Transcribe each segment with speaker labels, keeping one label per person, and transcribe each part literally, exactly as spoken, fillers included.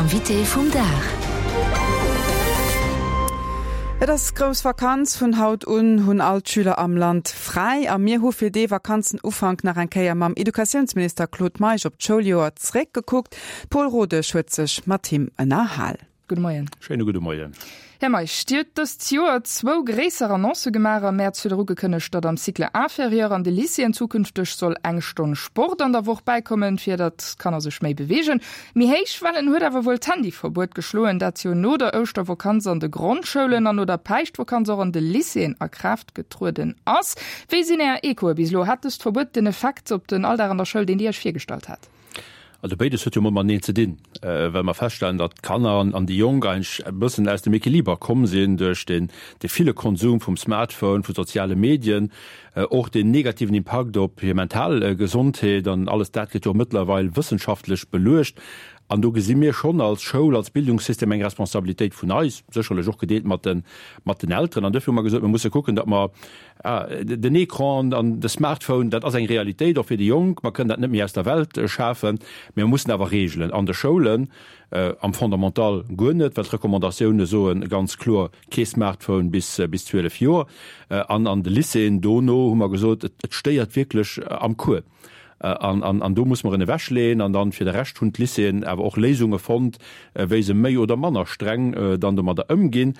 Speaker 1: Invité vum Dag.
Speaker 2: Et ass grouss Vakanz vun haut un hunn all d'Schüler am Land fräi a mir hu fir dee Vakanzenufank nach eng Kéier mam Educatiounsminister Claude Meisch op d'Schouljoer zréckgekuckt. Paul Rodesch huet sech mat him ënnerhal.
Speaker 3: Gudde Moien.
Speaker 4: Schéine gudde Moien.
Speaker 3: Här Meisch, Dir hutt dëst Joer zwou gréisser Annoncë gemaach. Am Mäerz hutt Der ugekënnegt, datt am Cycle inférieur an de Lycéeën zukünfteg soll eng Stonn Sport an der Woch bäikommen, fir datt d'Kanner sech méi beweegen. Méi héich Wellen huet awer wuel d'Handyverbuet geschloen, dat jo no der Ouschtervakanz an de Grondschoulen an no der Päischtvakanz och an de Lycéeën a Kraaft getrueden ass. Wéi sinn Är Echoe bis elo? Hat dëst Verbuet den Effekt op den Alldag an der Schoul, deen Dir Iech virgestallt hat?
Speaker 4: Also béides huet jo emol mateneen ze dinn, well mer feststellen, datt d'Kanner an déi Jonk eigentlech e bëssen aus dem Equiliber komm sinn duerch den de ville Konsum vum Smartphone, vu soziale Medien, och den negativen Impakt op hir mental Gesondheet an alles dat gëtt jo och mëttlerweil wëssenschaftlech beluecht. An do gesi mir schonn als Schoul, als Bildungssystem eng Responsabilitéit vun eis, sécherlech och gedeelt mat den, mat den Elteren. An duerfir hu mer gesot, mir musse kucken, datt mer den Ecran an de Smartphone, dat ass eng Realitéit och fir déi Jonk, mer kënnen dat net méi aus der Welt schafen, mä mir mussen awer Reegelen an de Schoulen, am Fondamental guer net, well d'Recommandatioune soe ganz kloer, kee Smartphone bis bis zwielef Joer. An an de Lycéeën dono hu mer gesot, et stéiert wierklech am Cours. An, an, an do muss mer en ewechleeën. An dann fir de Rescht hunn d'Lycéeën awer och Léisunge fonnt, wéi se méi oder manner streng dann domadder ëmginn.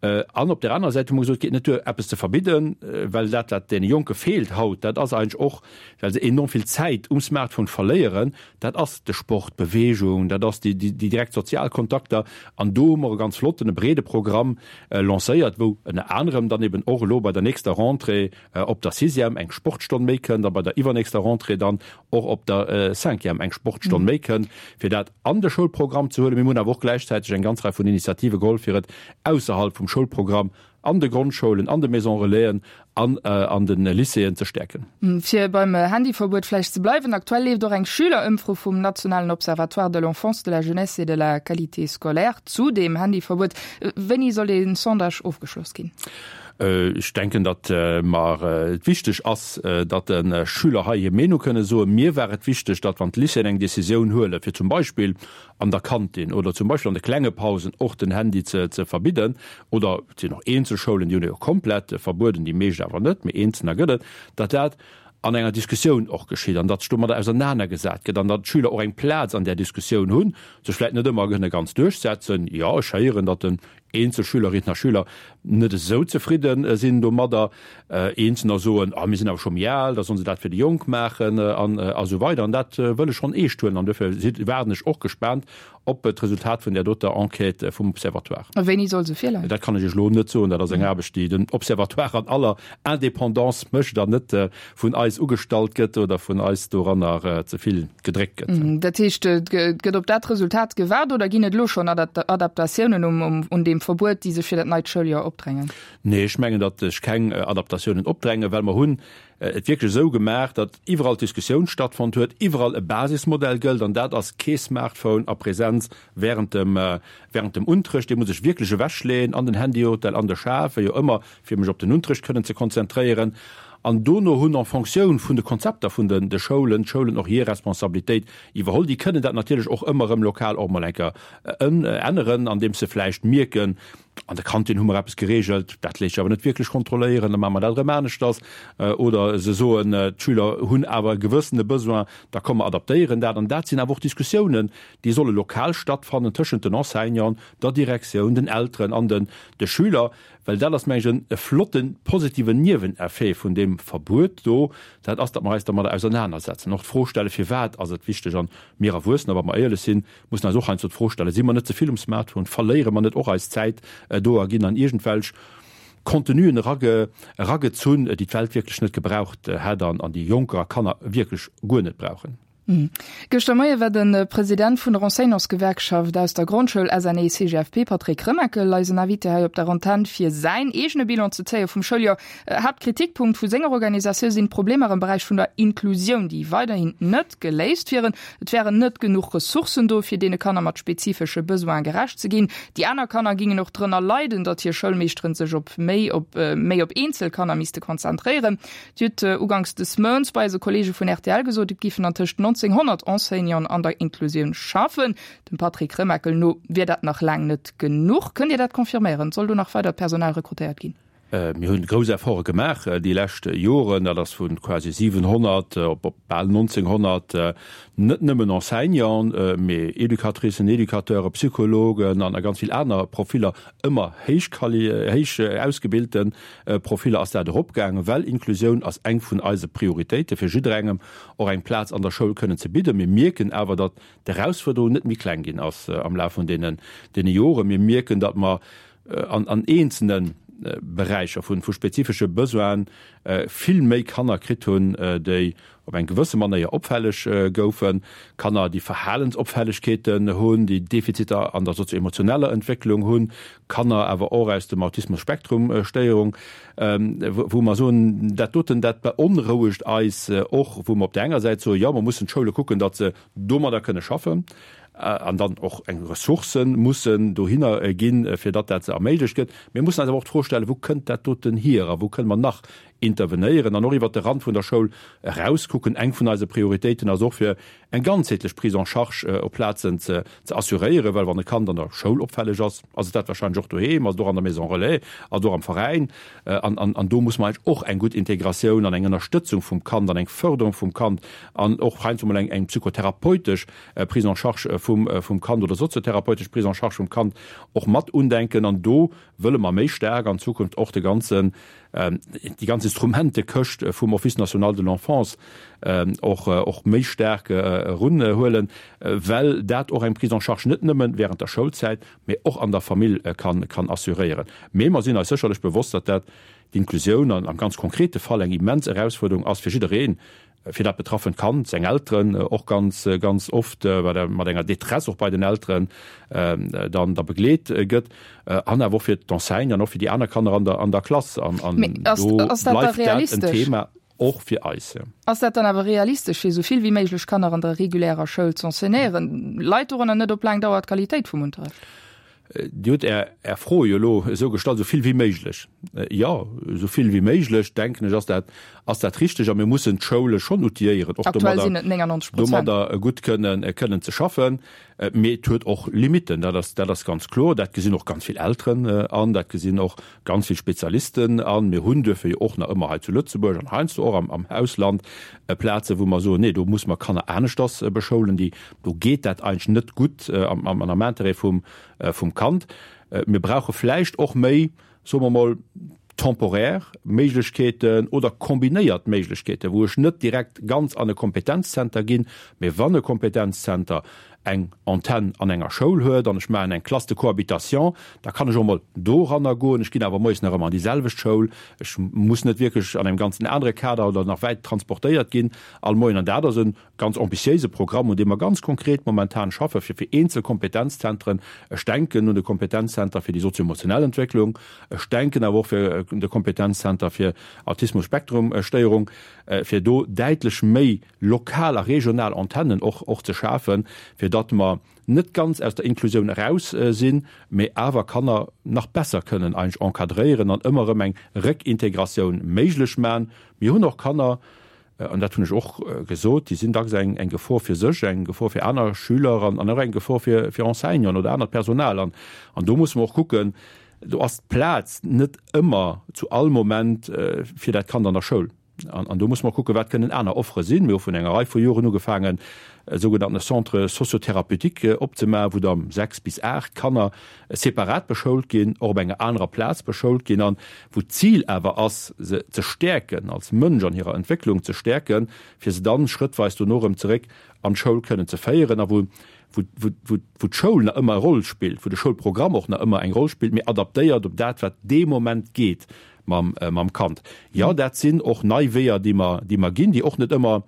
Speaker 4: An op där anerer Säit hu mer gesot, et geet net duer, eppes ze verbidden, well dat, wat deene Jonke feelt haut, dat ass eigentlech och, well se enorm vill Zäit um Smartphone verléieren, dat ass de Sport, d'Beweegung, dat ass déi, déi direkt sozial Kontakter. An do hu mer e ganz flotten, e breede Programm lancéiert, wou ënner anerem dann eben och elo bei der nächster Rentrée op der Sixième eng Sportstonn méi kënnt a bei der iwwernächster Rentrée dann och op der Cinquième eng Sportstonn méi kënnt, fir dat an de Schoulprogramm ze huelen. Mir hunn awer och gläichzäiteg eng ganz Rei vun Initiative geholl, fir et ausserhalb vum Schoulprogramm an de Grondschoulen, an de Maisons Relaisen an an de Lycéeën ze stäerken.
Speaker 3: Fir beim Handyverbuet vläicht ze bleiwen, Aktuell leeft och eng Schülerëmfro vum nationalen Observatoire de l'enfance, de la jeunesse et de la qualité scolaire zu deem Handyverbuet. Wéini soll dee Sondage ofgeschloss ginn?
Speaker 4: Ech denken, datt mer et wichteg ass, datt de Schüler hei hir Meenung kënne soen. Mir war et wichteg, datt wann d'Lycéeën eng Decisioun huelen, fir zum Beispill an der Kantin oder zum Beispill an de klenge Pausen och den Handy ze verbidden, oder et sinn och eenzel Schoulen, déi hunn e jo komplett verbueden, déi meescht awer net, mee eenzelner gëtt et, datt dat an enger Diskussioun och geschitt an datt sech domadder ausernanergesat gëtt an datt d'Schüler och eng Plaz an där Diskussioun hunn, sech vläicht net ëmmer kënne ganz duerchsetzen. Jo, ech héieren, datt den eenzel Schülerinnen a Schüler net esou zefridde sinn domadder. Eenzelner soen, ah mir sinn awer scho méi al, da sollen se dat fir déi Jonk maachen an a sou weider. An dat wëll ech schonn eescht huelen an duerfir waarden ech och gespaant op d'Resultat vun där doter Enquête vum Observatoire.
Speaker 3: A wéini soll se virleien?
Speaker 4: Dat kann ech Iech elo net soen. Dat ass eng Aarbecht, déi den Observatoire an aller Indépendance mécht an net vun eis ugestallt gëtt oder vun eis doranner ze vill gedréckt gëtt.
Speaker 3: Dat heescht, et gëtt op dat Resultat gewaart oder ginn et elo schonn Adaptatiounen un deem Verbuet, déi sech fir dat neit Schouljoer opdrängen?
Speaker 4: Nee, ech mengen, datt sech keng Adaptatiounen opdrängen, well mer hunn et wierklech esou gemaach, datt iwwerall d'Diskussioun stattfonnt huet, iwwerall e Basismodell gëllt, an dat ass kee Smartphone a Presenz während dem, während dem Unterrecht. Dee muss ech wierklech ewechleeën an den Handyhotel, an de Schaf, wéi och ëmmer, fir mech op den Unterrecht kënnen ze konzentréieren. An dono hunn en Fonctioun vun de Konzepter vun den de Schoulen, d'Schoulen och hir Responsabilitéit iwwerholl. Déi kënnen dat natierlech och ëmmer erëm lokal och mol eng Kéier änneren, andeems se vläicht mierken, An der Kantin hu mer eppes geregelt, dat léisst sech awer net wierklech kontrolléieren, da maache mer dat erëm aneschters. Oder se soen, d'Schüler hunn awer e gewëssene Besoin, da komm mer adaptéieren dat. An dat sinn awer och Diskussiounen, déi solle lokal stattfannen tëschent den Enseignanten, der Direktioun, den Elteren an den de Schüler. Well dat ass, mengen ech, e flotten, positiven Nieweneffet vun deem Verbuet do, dat ass, datt mer eis dermadder ausernanersetzen, och d'Fro stellen, Firwat ass et wichteg? An mir Erwuessener, wa mer éierlech sinn, mussen eis och heiansdo d'Fro stellen, Si mer net ze vill um Smartphone? Verléiere mer net och eis Zäit do a ginn an iergendwelch Contenuen eragezunn, déi d'Welt wierklech net gebraucht hätt an déi Jonker a Kanner wierklech guer net brauchen?
Speaker 3: Gëschter Moie war de President vun der Enseignantsgewerkschaft aus der Grondschoul S N E C G F P, Patrick Remakel, eisen Invité hei op der Antenn, fir säin eegene Bilan ze zéie vum Schouljoer. Haaptkritikpunkt vu senger Organisatioun sinn d'Problemer am Beräich vun der Inklusioun, déi weiderhin net geléist wieren. Et wären net genuch Ressourcen do, fir deene Kanner mat spezifesche Besoine gerecht ze ginn. Déi aner Kanner gingen och drënner leiden, datt hir Schoulmeeschteren sech op méi op méi op eenzel Kanner misste konzentréieren. Dir hutt uganks des Mounts bei eise Kolleege vun R T L gesot, et géifen an tëscht nonzénghonnert Enseignanten an der Inklusioun schaffen. Dem Patrick Remakel no wier dat nach laang net genuch. Kënnt Dir dat confirméieren? Soll do nach weidert Personal rekrutéiert ginn?
Speaker 4: Mir hunn grouss Efforte gemaach déi lescht Joren, dat ass vu quasi siwenhonnert op bal nonzénghonnert, net nëmmen Enseignanten, mee Educatricen, Educateuren, Psychologen an a ganz vill aner Profiller, ëmmer héich héich ausgebilte Profiller ass dat eropgaangen, well Inklusioun ass eng vun eise Prioritéite fir jidderengem och eng Plaz an der Schoul kënnen ze bidden. Mir mierken awer, datt d'Erausfuerderung net méi kleng ginn ass am Laf vun deenen Joren. Mir mierken, datt mer an an eenzelne Beräicher vun vu spezifesche Besoine vill méi Kanner kritt hunn, déi op eng gewësse Manéier opfälleg goufen, Kanner, déi Verhalensopfällegkeeten hunn, déi Defiziter an der sozio-emotioneller Entwécklung hunn, Kanner awer och aus dem Autismus-Spektrum-Stéierung, wou mer soen, dat doten, dat beonrouegt eis och, wou mer op där enger Säit soen, jo, mer mussen d'Schoule kucken, datt se domadder kënne schaffen, an dann och eng Ressourcë mussen dohinner ginn, fir datt dat se erméiglecht gëtt. Mir mussen eis awer och d'Fro stellen, Wou kënnt dat doten hier a wou kënne mer nach intervenéieren an och iwwert de Rand vun der Schoul erauskucken? Eng vun eise Prioritéiten ass och, fir eng ganzheetlech Prise en charge op Plazen ze assuréieren, well wann e Kand an der Schoul opfälleg ass, ass et dat wahrscheinlech och doheem, ass et och an der Maison relais, ass et och am Veräin. An do muss mer eigentlech och eng gutt Integratioun an eng Ënnerstëtzung vum Kand an eng Förderung vum Kand an och heiansdo mol eng psychotherapeutesch Prise en charge vum Kand oder soziotherapeutesch Prise en charge vum Kand och mat undenken. An do wëlle mer méi staark an Zukunft och de ganzen, déi ganz Instrumentekëscht vum Office national de l'enfance och, och méi staark erunhuelen, well dat och eng Prise en charge net nëmme während der Schoulzäit, mee och an der Famill kann, kann assuréieren. Mee mer sinn eis sécherlech bewosst, datt dat d'Inklusioun an am ganz konkrete Fall eng immens Erausfuerderung ass fir jiddereen, fir dat betraffent Kand, seng Elteren och ganz, ganz oft mat enger Détresse och bei den Elteren dann da begleet gëtt, an awer och fir d'Enseignanten an och fir déi aner Kanner an der, an der Klass. An, an do bleift dat en Thema och fir eis.
Speaker 3: Ass dat dann awer realistesch, fir esou vill wéi méiglech Kanner an der regulärer Schoul z'enseignéieren? Leit dorënner net op laang Dauer d'Qualitéit vum Unterrecht?
Speaker 4: Dir hutt Är Är Fro jo elo esou gestallt, esou vill wéi méiglech. Jo, esou vill wéi méiglech, denken ech, ass dat, ass dat richteg. A mir mussen d'Schoule schonn outilléieren, och domadder, domadder gutt kënnen, kënnen ze schaffen. Mee et huet och Limitten, dat ass, dat ass ganz kloer. Dat gesinn och ganz vill Elteren an, dat gesinn och ganz vill Spezialisten an. Mir hunn duerfir jo och nach ëmmer hei zu Lëtzebuerg an heiansdo och am, am Ausland Plazen, wou mer soen, nee, do muss mer Kanner aneschters beschoulen, déi, do geet dat eigentlech net gutt am, am, am Intérêt vum, vum Kand. Mir brauche vläicht och méi, soe mer mol, temporär Méiglechkeeten oder kombinéiert Méiglechkeeten, wou ech net direkt ganz an e Kompetenzzenter ginn, mee wann e Kompetenzzenter eng Antenn an enger Schoul huet an ech maachen eng Classe de cohabitation, da kann ech och mol doranner goen. Ech ginn awer moies nach ëmmer an déi selwecht Schoul. Ech muss net wierklech an engem ganzen anere Kader oder nach wäit transportéiert ginn all Moien. An dat ass e ganz ambitiéise Programm, un deem mer ganz konkret momentan schaffe fir fir eenzel Kompetenzzentren. Ech denken un de Kompetenzzenter fir déi sozio-emotionell Entwécklung, ech denken awer och fir un de Kompetenzzenter fir Autismus-Spektrum-Stéierung, fir do däitlech méi lokal a regional Antennen och och ze schafen, fir datt mer net ganz aus der Inklusioun eraus sinn, mee awer Kanner nach besser kënnen eigentlech encadréieren an ëmmer erëm eng Réckintegratioun méiglech maachen. Mir hunn och Kanner, an dat hunn ech och gesot, déi sinn dacks eng eng Gefor fir sech, eng Gefor fir aner Schüler an an och eng Gefor fir fir Enseignanten oder anert Personal. An an do musse mer och kucken, do ass d'Plaz net ëmmer zu all Moment fir dat Kand an der Schoul. An an do musse mer kucken, wat kënnen aner Offere sinn. Mir hu vun enger Rei vu Joren ugefaangen, e sougenannte Centre socio-thérapeutique opzemaachen, wou da sechs bis aacht Kanner separat beschoult ginn, och op enger anerer Plaz beschoult ginn an wou d'Zil awer ass, se ze stäerken, als Mënsch an hirer Entwécklung ze stäerken, fir se dann schrëttweis dono erëm zeréck an d'Schoul kënnen ze féieren a wou wou wou wou d'Schoul nach ëmmer e Roll spillt, wou de Schoulprogramm och nach ëmmer eng Roll spillt, mee adaptéiert op dat, wat dee Moment geet mam mam Kand. Jo, dat sinn och nei Weeër, déi mer déi mer ginn, déi och net ëmmer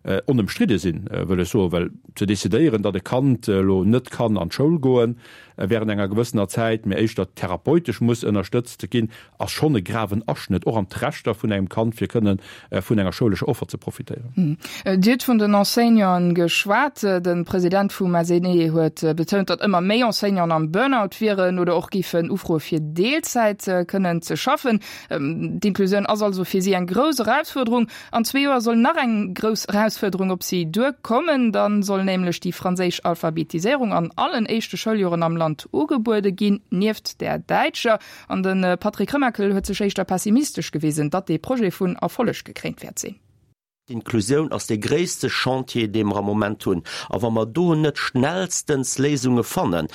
Speaker 4: onëmstridde sinn, wëll ech soen, well ze decidéieren, datt e Kand elo net kann an d'Schoul goen, während enger gewëssener Zäit, mee éischter therapeutesch muss ënnerstëtzt ginn, ass schonn e graven Aschnëtt och an d'Rechter vun engem Kand, fir kënnen vun enger schoulescher Offer ze profitéieren.
Speaker 3: Dir hutt vun den Enseignanten geschwat. De President vum SNE huet betount, datt ëmmer méi Enseignanten am Burnout wieren oder och géifen ufroe fir Deelzäit kënnen ze schaffen. D'Inklusioun ass also fir si eng grouss Erausfuerderung. An zwee Joer soll nach eng grouss Erausfuerderung op si duerkommen. Da soll nämlech déi franséisch Alphabetiséierung an allen éischte Schouljoren am Land ugebuede ginn, nieft där däitscher. An de Patrick Remakel huet sech éischter pessimistesch gewisen, datt dee Projet vun Erfolleg gekréint wäert sinn.
Speaker 1: D'Inklusioun ass dee gréisste Chantier, dee mer am Moment hunn. A wa mer do net schnellstens Léisunge fannen,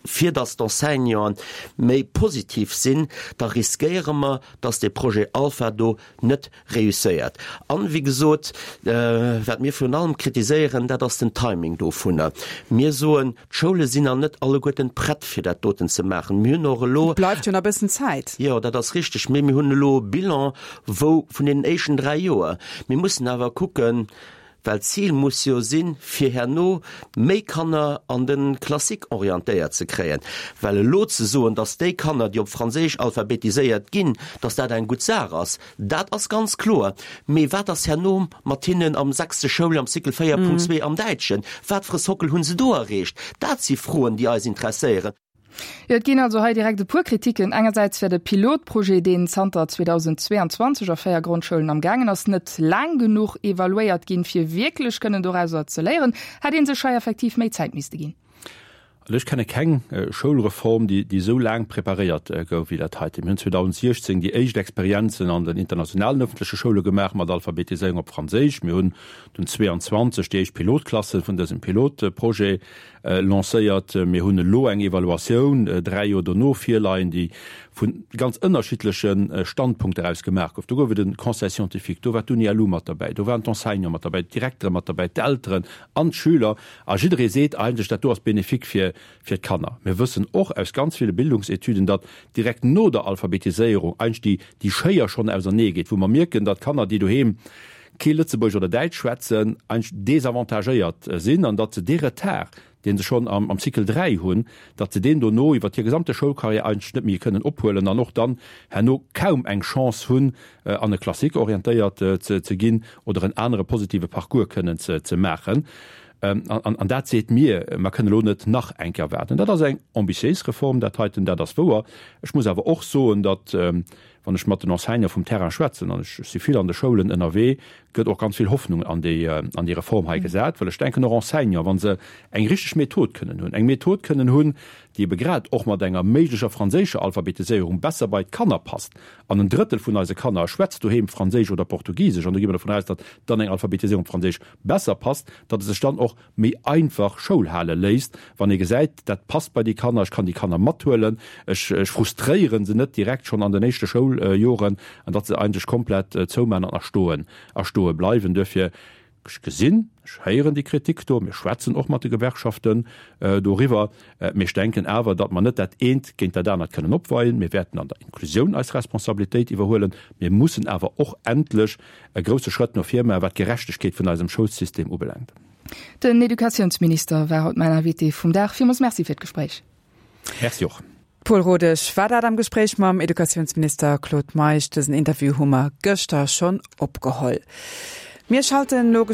Speaker 1: fir datt d'Enseignanten méi positiv sinn, da riskéiere mer, datt dee Projet Alpha do net réusséiert. An, wéi gesot, wat mir virun allem kritiséieren, dat ass den Timing dovunner. Mir soen, d'Schoule sinn nach net alleguerten prett, fir dat doten ze maachen. Mir hunn och elo.
Speaker 2: Et bleift jo nach e bëssen Zäit.
Speaker 1: Jo, dat ass richteg. Mee mir hunn elo e Bilan, wou vun deenen éischten dräi Joer. Mir mussen awer kucken, well d'Zil muss jo sinn, fir herno méi Kanner an de Classique orientéiert ze kréien. Well elo ze soen, datt déi Kanner, déi op Franséisch alphabetiséiert ginn, datt dat eng gutt Saach ass, dat ass ganz kloer. Mee wat ass herno mat hinnen am sechste Schouljoer, am Cycle véier Punkt zwee am Däitschen? Wat fir e Sockel hu se do erreecht? Dat si Froen, déi eis interesséieren.
Speaker 3: Jo, et ginn also hei direkt e puer Kritiken. Engersäits wär de Pilotprojet, deen zanter zweedausendzweeanzwanzeg a véier Grondschoulen am gaangen ass, net laang genuch evaluéiert ginn, fir wierklech kënnen dorauser ze léieren. Hätt ee sech hei effektiv méi Zäit misste ginn?
Speaker 4: Also ech kenne keng Schoulreform, déi esou laang preparéiert gouf wéi dat heite. Mir hunn zweedausendsechzéng déi éischt Experienzen an den internationalen öffentleche Schoule gemaach mat Alphabetiséierung op Franséisch. Mir hunn dunn zweeanzwanzeg déi éischt Pilotklasse vun dësem Pilotprojet lancéiert. Mir hunn elo eng Evaluatioun dräi Joer dono virleien, déi vu ganz ënnerschiddleche Standpunkter aus gemaach gouf. Do gouf et e Conseil scientifique, do war d'Uni-L U mat derbäi, do waren d'Enseignante mat derbäi, d'Direktere mat derbäi, d'Elteren an d'Schüler. A jidderee seet eigentlech, dat do ass bénéfique fir fir d'Kanner. Mir wëssen och aus ganz ville Bildungsetüden, datt direkt no der Alphabetiséierung eigentlech déi déi Schéier schonn ausernee geet, wou mer mierken, datt Kanner, déi doheem kee Lëtzebuergesch oder Däitsch schwätzen, eigentlech desavantagéiert sinn an datt se dee Retard, dee se schonn am am Cycle dräi hunn, datt se deen dono iwwer hir gesamte Schoulcarrière eigentlech net méi kënnen ophuelen an och dann herno kaum eng Chance hunn, an e Classique orientéiert ze ze ginn oder en anere positive Parcours kënnen ze ze maachen. An dat seet mir, mer kënnen elo net nach eng Kéier waarden. Dat ass eng ambitiéis Reform, dat heiten, dat ass wouer. Ech muss awer och soen, datt, wann ech mat den Enseignante vum Terrain schwätzen, an ech si vill an de Schoulen ënnerwee, gëtt och ganz vill Hoffnung an déi, an déi Reform hei gesat, well ech denken och Enseignante, wa se eng richteg Method kënnen hunn, eng Method kënnen hunn, déi ebe grad och mat enger méiglecher franséischer Alphabetiséierung besser bei d'Kanner passt, an en Drëttel vun eise Kanner schwätzt doheem Franséisch oder Portugisesch, an do gi mer dovun aus, datt dann eng Alphabetiséierung op Franséisch besser passt, datt et sech dann och méi einfach Schoul hale léisst, wann ee gesäit, dat passt bei déi Kanner, ech kann déi Kanner mathuelen, ech frustréiere se net direkt schonn an den éischte Schouljoren, an datt se eigentlech komplett zouman an a stoen a stoe bleiwen. Duerfir, ech gesinn, ech héieren déi Kritik do, mir schwätzen och mat de Gewerkschaften doriwwer, mee ech denken awer, datt mer net dat eent géint dat anert kënnen opweien. Mir wäerten an der Inklusioun eis Responsabilitéit iwwerhuelen. Mir mussen awer och endlech e grousse Schrëtt no vir maachen, wat d'Gerechtegkeet vun eisem Schoulsystem ubelaangt.
Speaker 3: Den Educatiounsminister war haut mäin Invité vum Dag. Villmools Merci fir d'Gespréich.
Speaker 4: Merci och.
Speaker 2: Paul Rodesch war dat am Gespréich mam Educatiounsminister Claude Meisch. Dësen Interview hu mer gëschter schonn opgeholl. Mir schalten elo.